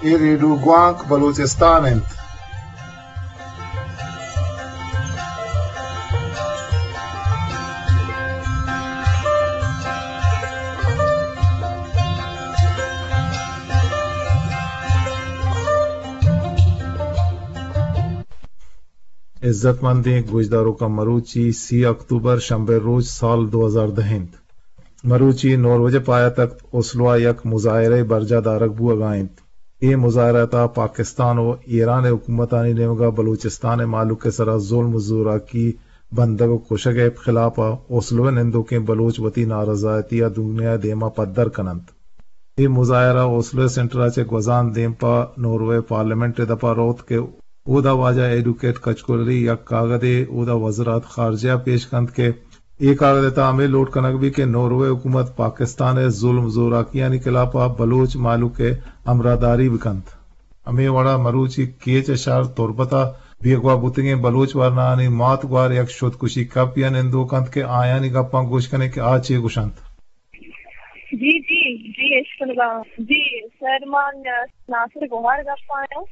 اے ریڈیو گوانک بلوچستان انت۔ عزت مندیں گوشداروکاں، مروچی سی اکتوبر، شنبے روچ، سال دو ہزار دہ انت۔ مروچی نوروے ءِ پایتخت اوسلو ءَ یک مظاہرہ ءِ برجاہ دارگ بوہگا انت۔ اے مظاہرہ ءِ تہا پاکستان و ایران ءِ حکومتانی نیمگا بلوچستان ءِ مہلوک ءِ سرا ظلم و زوراکی، بندگ و کشگ ءِ خلاف ءَ اوسلو ءِ نندوکیں بلوچ وتی نارضایتی ءَ دنیا ءِ دیما پدر کن انت۔ اے مظاہرہ اوسلو ءِ سنٹر ءَ چہ گوزان دیم پہ نوروے پارلیمنٹ ءِ دپا روت کہ اودا واجہ ایڈوکیٹ کچکول علی یک کاگدے اودا وزارت خارجہ ءَ پیش کنت کہ اے کاگد ءِ تہا ہمے لوٹ کنگ بیت کہ نوروے حکومت پاکستان ءِ ظلم زوراکیانی خلاف ءَ بلوچ مہلوک ءِ ہمراہداری بکنت۔ ہمے وڑا مروچی کیچ ءِ شہر تربت ءَ بیگواہ بوتگیں بلوچ ورنایانی مات گوار یک شدکشی کمپے ءَ نندوک انت کہ آیانی گپاں گوش کنیں کہ آ چے گوش انت۔ جی، جی، جی، اشکنگا۔ جی، سر، من ناصر گوہر گپ آیاں۔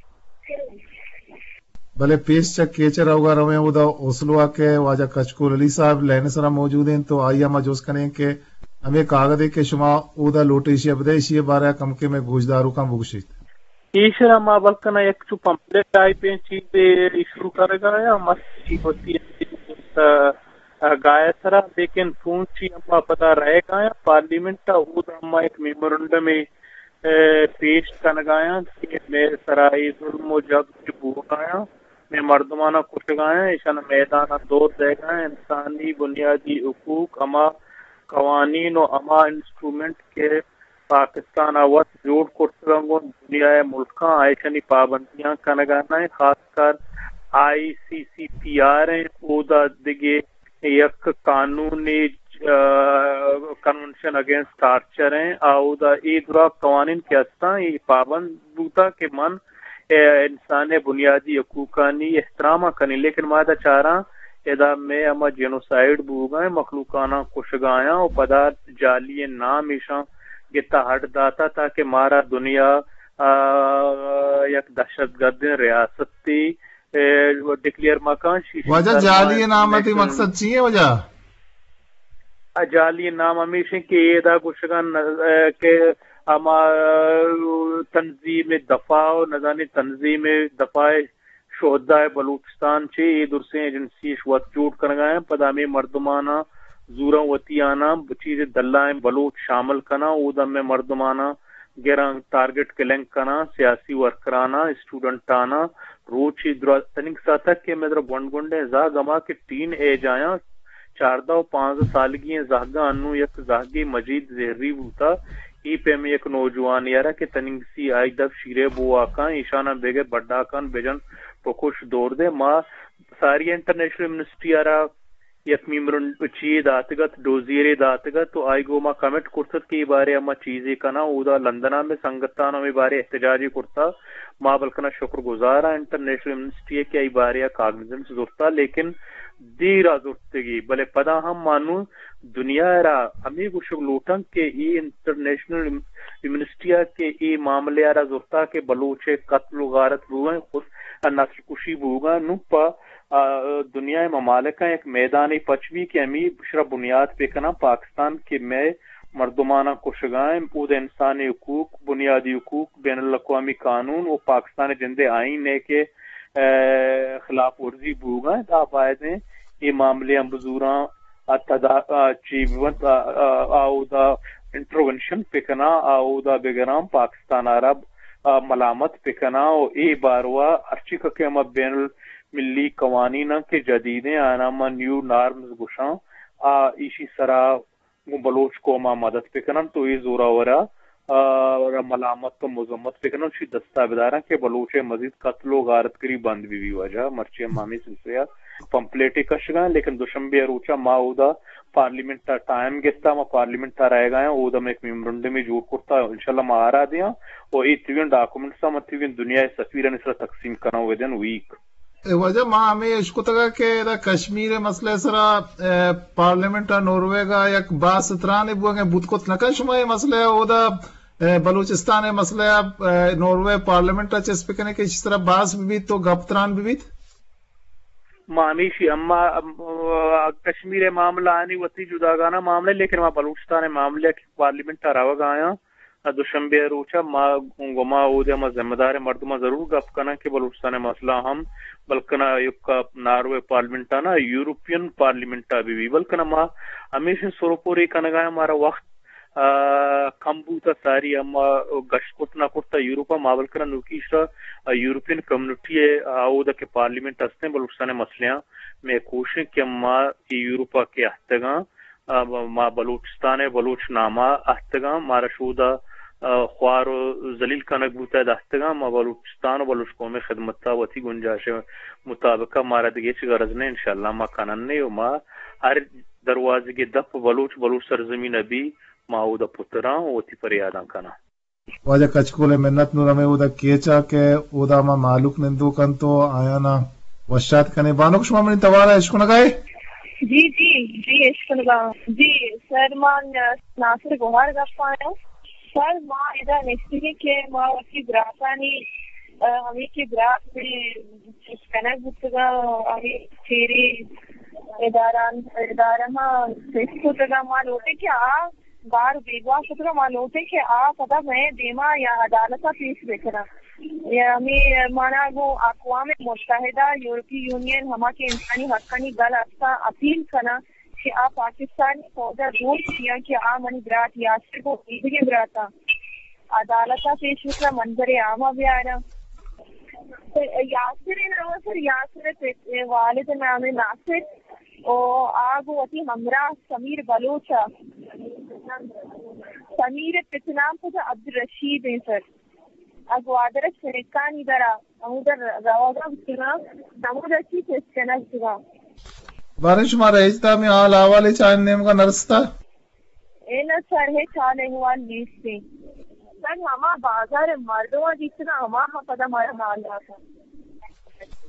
بلے پیش چہ کیچ ءَ روگا رویں، اودا اوسلو ءَ کہ واجہ کچکول علی صاحب لائن ءِ سرا موجود انت، تو آئی ءَ ما جست کنیں کہ ہمے کاگدے کہ شما اودا لوٹ ایشی ءَ بدئے، ایشی ءِ بارہ ءَ کمکے مئے گوشداروکاں بگوشیت۔ ایشرا ما بلکنا یک چو پمپلٹ ٹائپیں چیزے ایشو کرگا یا مرچی وتی گائے سرا، لیکن چون چی ہما پدا رہگا یا پارلیمنٹ ءَ، اودا ہما یک میمورنڈمے، اے، پیش کنگا یا کہ مئے سرا اے ظلم و جبر بوگا یا، مئے مردمانا کشگا یا، ایشانا میدانا دور دئیگا یا، انسانی بنیادی حقوق، ہما قوانین و ہما انسٹرومنٹ کہ پاکستان ءَ وت جوڑ کرتگ انت، گوں دنیا ءِ ملکاں آ ایشانی پابندیاں کنگ ءَ نہ انت، خاص کر آئی سی سی پی آر انت، اودا دگہ یک قانونے، آ، کنونشن اگینسٹ ٹارچر انت، آ اودا اے درا قوانین کہ ہستاں، اے پابند بوتا کہ من اے انسان ءِ بنیادی حقوقانی احترام ءَ کنیں، لیکن ما ادا چاراں، ادا مئے ہما جینوسائیڈ بوگا ایں، مخلوقاناں کشگا یاں و پدا جعلی نام ایشاں گتا اڈ داتا تاکہ مارا دنیا، آ، یک دہشت گردیں ریاستے، اے، ڈکلیئر مکن۔ شی-، شی واجہ، سرمایہ جعلی نام ءِ تئی نیشنل مقصد چی ایں واجہ؟ آ جعلی نام ہمیش انت کہ ادا گوشگا ن-، کہ ہما تنظیم دفاع و نزانی تنظیم دفاع شہداء بلوچستان چہ اے درسیں ایجنسی اش وت جوڑ کنگا انت، پدا ہمے مردماناں زوراں وتی آناں چیزے دلائیں بلوچ شامل کناں، اودا ہمے مردماناں گراں، ٹارگٹ کلنگ کناں، سیاسی ورکراناں، اسٹوڈنٹاناں، روچے درا-، تنیگہ ساعتک کہ مئے درا گونڈ گونڈیں زہگ ہما کہ ٹین ایج آیاں، چاردہ و پانزدہ سالگی ایں زہگاں انوں یک زہگے مجید زہری بوتا، اے پیمیں یک نوجوانے ء را کہ تنیگہ سی آئی دپ شیرے بوہاکاں، ایشاناں بگر بڈاکاں بجن، بکش، دور دے۔ ما ساری انٹرنیشنل یونیورسٹی ء را یک میمورنڈ چی داتگ ات، ڈوزیرے داتگ ات، تو آئی گوں ما کمٹ کرت ات کہ اے بارے ء ما چیزے کناں۔ اودا لندن ء مئے سنگتاں ہمے بارے احتجاجے کرتا۔ ما بلکنا شکر گزار آں انٹرنیشنل یونیورسٹی ء کہ اے بارے ء کاگنیزنس زرتا، لیکن دیر ء زرتگی، بلے پدا ہم ما نوں دنیا ء را ہمے گوشگ لوٹاں کہ اے انٹرنیشنل یونیورسٹی ء کہ اے معاملہ ء را زرتا کہ بلوچ ء قتل و غارت بوگاں، خود نسل کشی بوگاں، نوں پہ آ، دنیا ء ممالکاں یک میدانے پچ بی کہ ہمے اشرا بنیاد بہ کناں، پاکستان کہ مئے مردماناں کشگا انت، اود انسانی حقوق، بنیادی حقوق، بین الاقوامی قانون و پاکستان ء جند ء آئین ء کہ، ا، خلاف ورزی بوگا انت، آ باید انت اے معاملے ہم بزوراں ء تدا-، ء چی بنت، ء، ء، ء اودا انٹروینشن بکناں، ء اودا بگراں، پاکستان ء را، ء ملامت بکناں و اے باروا ہرچی کہ ہما بین المللی قوانین انت کہ جدیدیں، آناں ما نیو نارمز گوشاں، ء ایشی سرا گوں بلوچ قوم ء مدد بکننت و اے زوراور ء، ء، را ملامت و مذمت بکننت، شی دستا بداراں کہ بلوچ ء مزید قتل و غارتگری بند بہ بی۔ واجہ مرچی ہم ہمے سلسلہ ء پمپلیٹے کشگاں، لیکن دوشنبے ء روچ ء ما اودا پارلیمنٹ ء ٹائم گپتا، ما پارلیمنٹ ء رہگا آں، اودا ما یک میمورنڈمے جوڑ کرتا، انشاءاللہ ما آرا دیاں و اے تیوگیں ڈاکومنٹس ء ما تیوگیں دنیا ء سفیرانی سرا تقسیم کناں ودن ویک۔ اے واجہ، ما ہمے اشکتگ کہ ادا کشمیر ء مسئلہ ء سرا، اے، پارلیمنٹ ء نورویگ ء یک بحث ترانے بوگ ء بوت کت نہ کن، شما اے مسئلہ ء اودا بلوچستان ءِ مسئلہ ءَ، ناروے پارلیمنٹ ءَ چست بہ کنیں کہ ایشی سرا بحث بہ بیت و گپ تران بہ بیت؟ ما ہمیشی اما، ام، کشمیر ءِ معاملہ آنی وتی جداگانہ معاملہ، لیکن ما بلوچستان ءِ معاملہ کہ پارلیمنٹ ءَ روگ ءَ آیاں، دوشنبے ءِ روچ ءَ ما گما اود ءَ ما ذمہ دار مردماں ضرور گپ کناں کہ بلوچستان ءِ مسئلہ ہم بلکنا یک ناروے پارلیمنٹ ءَ نہ، یورپین پارلیمنٹ ءَ بہ بی، بلکنا ما ہمیشی سرپوری کنگ ءَ آں، مارا وقت آ، کم بوت ءَ ساری ہم ما گشت کت نہ کرت ءَ یورپ ءَ، ما بلکنا نوکی ایشرا، آ، یورپین کمیونٹی ءِ، آ، اود ءَ کہ پارلیمنٹ ہستیں بلوچستان ءِ مسئلہ آں، مئے کوشش کہ ما اے یورپ ءَ کہ اہتگاں، آ، ما بلوچستان ءِ بلوچ نام ءَ اہتگاں، مارا شود ءَ، آ، خوار و ذلیل کنگ بوت ءَ اہتگاں، ما بلوچستان و بلوچ قوم ءِ خدمت ءَ وتی گنجائش ءِ مطابق ءَ مارا دگہ ہچ غرض نہ، انشاءاللہ ما کنن و ما ہر دروازگے دپ بلوچ، بلوچ سرزمین ءَ بی، ما اودا پتراں و وتی پریاداں کناں۔ واجہ کچکول ءِ منت۔ نوں ہمے اودا کیچ ءَ کہ اودا ما مہلوک نندوک انت و آیانا وشات کنیں۔ بانک، شما منی توار ءَ اشکنگا ئے؟ جی، جی، جی، اشکنگا۔ جی، سر، ما ناصر گوہار گپ آیاں۔ سر، ما ادا نشتگیں کہ ما وتی براتانی، آ، ہمے کہ برات چست کنگ بوتگاں، ہمے چیری اداران، ادارہ ما چست کتگاں، ما لوٹیں کہ آ گار بیگواہ کتگاں، ما لوٹیں کہ آ پدا مئے دیما یا عدالت ءَ پیش بکناں۔ یا ہمے مانا گوں اقوام متحدہ، یورپی یونین، ہما کہ انسانی حقانی گل ہستاں، اپیل کناں کہ آ پاکستانی فوج ءَ زور دیاں کہ آ منی برات یاسر گوں ایدگہ براتاں عدالت ءَ پیش بکناں، منظر عام ءَ بیاراں۔ یاسر ءِ نام سر، یاسر ءِ پت، والد ءِ نام ناصر، او آ گوں وتی ہمراہ سمیر بلوچ ءَ، سمیر ءِ پت نام پدا عبدالرشید ایں سر۔ آ گوادر ءَ شنکانی در ءَ ہمودا روگ ءَ بوتگاں، ہمودا چی چست کنگ بوتگاں۔ باریں شمارا ہچ دامیں حال احوالے چہ آیانی نیمگا نرستہ؟ اے نہ سر، ہچ حال احوال نیست ایں۔ سر، ہما بازار ءِ مردماں دیستگاں، ہما ہم پدا مارا حال داتاں۔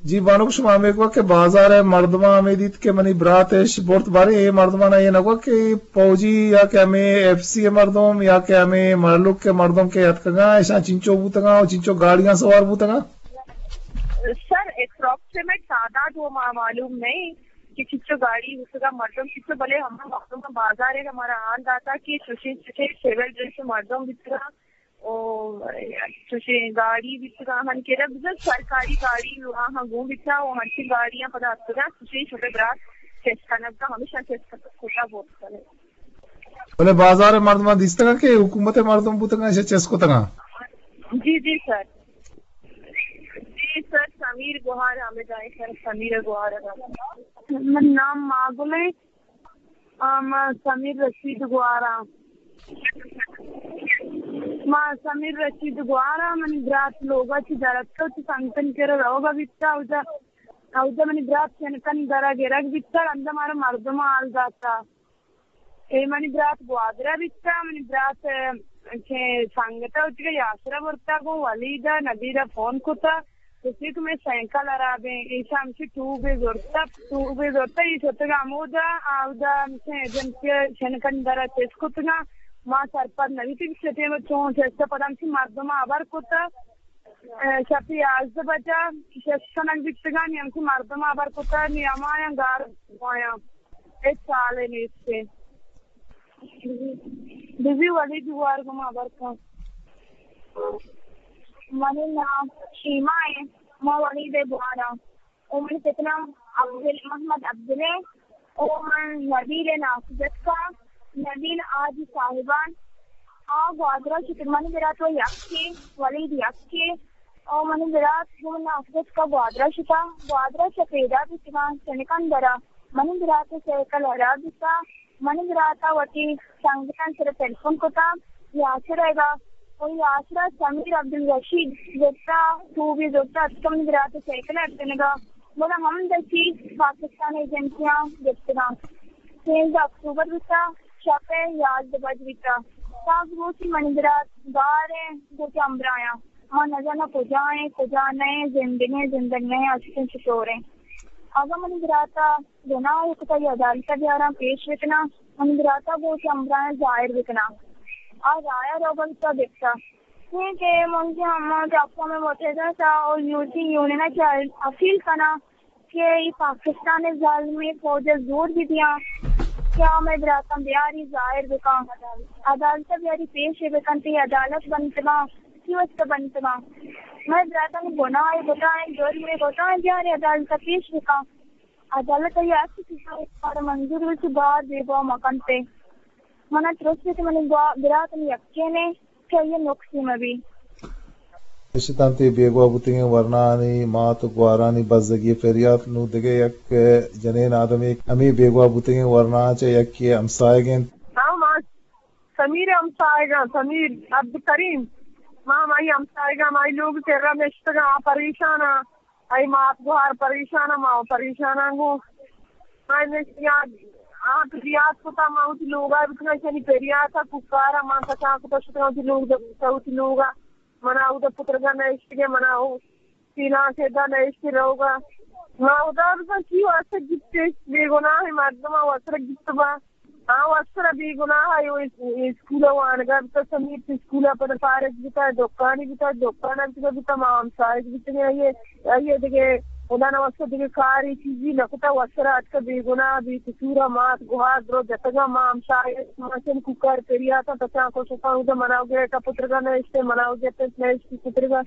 جی بانک، شما ہمے گوشت کہ بازار ءِ مردماں ہمے دیت کہ منی برات اش برت، باریں اے مردماں اے نہ گوشت کہ فوجی یا کہ ہمے ایف سی ءِ مردم یا کہ ہمے مہلوک ءِ مردم کہ اتکگاں، اشاں چنچو بوتگاں و چنچو گاڑیاں سوار بوتگاں؟ سر، اپروکسیمیٹ تعداد و ما معلوم نہیں کہ چنچو گاڑی بوتگاں، مردم چنچو، بلے ہما مردم بازار ءَ مارا حال داتا کہ چوشیں چوشیں سول ڈریس مردم بوتگاں، او چوشیں گاڑی بیتگاں ہن کہ بزاں سرکاری گاڑی آہاں گون بیتاں و ہنچیں گاڑیاں پدا اتکگاں، چوشیں شمئے برات چست کنگ بوتاں، ہمیشاں چست کتا بوتگ۔ بلے بازار ءِ مردماں دیستگاں کہ حکومت ءِ مردم بوتگاں، ایشاں چست کتگاں؟ جی، جی سر۔ جی سر، سمیر گوہار حامد آئے سر، سمیر گوہار۔ من نام ماگل ایں۔ آ، ما سمیر رشید گوار آں۔ ما سمیر رشید گوار آں، منی برات لوگ ءَ چہ در اتکگ، چہ سنگتانی کرا روگ ءَ بیتگ، اودا، اودا منی برات چنکن در ءَ گرگ بیتگ، اندا مارا مردماں حال داتگ۔ اے منی برات گوادر ءَ بیتگ، منی برات، ءَ، چہ سنگت ءَ وتی یاسر ءَ برتگ، گوں ولید ءَ نبیل ءَ فون کتگ۔ گوشتی کہ مئے سائیکل ہراب ایں، ایشاں ہمشی ٹیوبے زرتہ، ٹیوبے زرتہ، اے شتگ ہمودا، اودا ہمشی ایجنسی ءَ شنکن در ءَ چست کتگاں۔ ما سرپد نہ بیتیں کہ چہ ٹیم ءَ چون چست، پدا ہمشی مردماں ہبر کتہ، اے، شپ ءِ یازدہ بجہ چست کنگ بیتگاں، نی ہمشی مردماں ہبر کتہ، نی ہمایاں گار بوایاں۔ ہچ حالے نیست۔ بزی ولید گوار گوں ما ہبر کن۔ منی نام شیما ایں، ما ولید ءِ گوار آں۔ او منی پت نام عبدل، محمد عبدل ایں۔ او من نبیل ءِ ناکو جتکاں، نبیل حاجی صاحبان۔ آ گوادر ءَ شتگ، منی برات و یکے، ولید یکے۔ او منی برات گوں من ناکو جتکاں گوادر ءَ شتاں، گوادر ءَ چہ پیداک بیتگاں، چنکن در ءَ منی برات ءِ سائیکل ہراب بیتگ۔ منی برات ءَ وتی سنگتانی سر ءَ ٹیلیفون کتگ، یاسر ءَ، و یاسر ءَ سمیر عبدالرشید زرتہ، ٹیوبے زرتہ، اتکہ منی برات ءِ سائیکل ءَ اتکنگ ءَ، گڑا ہمد ءَ چہ پاکستان ایجنسیاں گپتگاں۔ سیزدہ اکتوبر بیتہ، شپ ءِ یازدہ بج بیتہ۔ ساز روچی منی برات گار ءَ گوں وتی ہمبراہاں۔ ما نزاناں کجا ایں، کجا نہ ایں، زندگ ایں، زندگ نہ ایں، ہستیں چطور ایں۔ اگاں منی برات ءَ گناہ ءَ کتہ، یا عدالت ءَ بیاراں، پیش بکناں، منی برات ءَ گوں وتی ہمبراہاں ظاہر بکناں۔ آ ظاہر ہو گئی تو دیکھتا۔ یہ کہ من کے ہم جاپان میں موجود تھا اور یورپی یونین کے اپیل کرنا کہ یہ پاکستان ظالمی فوج زور بھی دیا۔ کیا میں براتم بیاری ظاہر بکاں، عدالت بیاری پیش بکن تے عدالت بنتگاں، کی واسطہ بنتگاں؟ میں براتم گناہ بتائیں، جرم بتائیں، بیاری عدالت پیش بکاں۔ عدالت ء یک چیزے کار منظور بہ چی بار بیگواہ مہ کنت۔ من ء ترس بیت منی گوا-، برات منی یکین ء کہ آئی ء نقصی مہ بی۔ اشتاں تئی بیگواہ بوتگیں ورناانی مات و گوارانی بزگی پریات۔ نوں دگہ یک جنین آدمے ہمے بیگواہ بوتگیں ورنااں چہ یکے ہمساہگ انت۔ ہاں، ما سمیر ہمساہگاں، سمیر عبدالکریم، ما ہمائی ہمساہگاں، ہمائی لوگ کرا نشتگاں، آ پریشان آں۔ اے مات گوہار پریشان آں، ما پریشان آں گوں۔ ما نشتگاں، آ پریات کتا، ما وتی لوگا بکناں، شنی پریات آ ککارا ما کسان کتا شتگاں وتی لوگ، وتی لوگا۔ منا اودا پترگا نشتگے، منا او سیلان سے دا نشتے روگا۔ ما اودا بزن کی واسطہ گپتے، بے گناہ مردم واسطہ گپت با۔ آ وسر بے گناہ ء اس-، اسکول ء وانگا بوتا، سمیر چہ اسکول ء پد فارغ بوتا، دکانی بوتا، دکان ء بوتا، بوتا، ما ہمساہگ بیتگیں، آئی ء، آئی ء دگہ خدا نہ واسطہ دگہ کاری چیزی نہ کتا، وسر اتکا بے گناہ، بے قصور ء مات گوہار درو جتگا، ما ہمساہگ، ما چن کوکار پریاتاں، تچان کشتاں، اودا منا گیٹ ء پترگا نہ اشتے، منا گیٹ ء نہ اشتے پترگا۔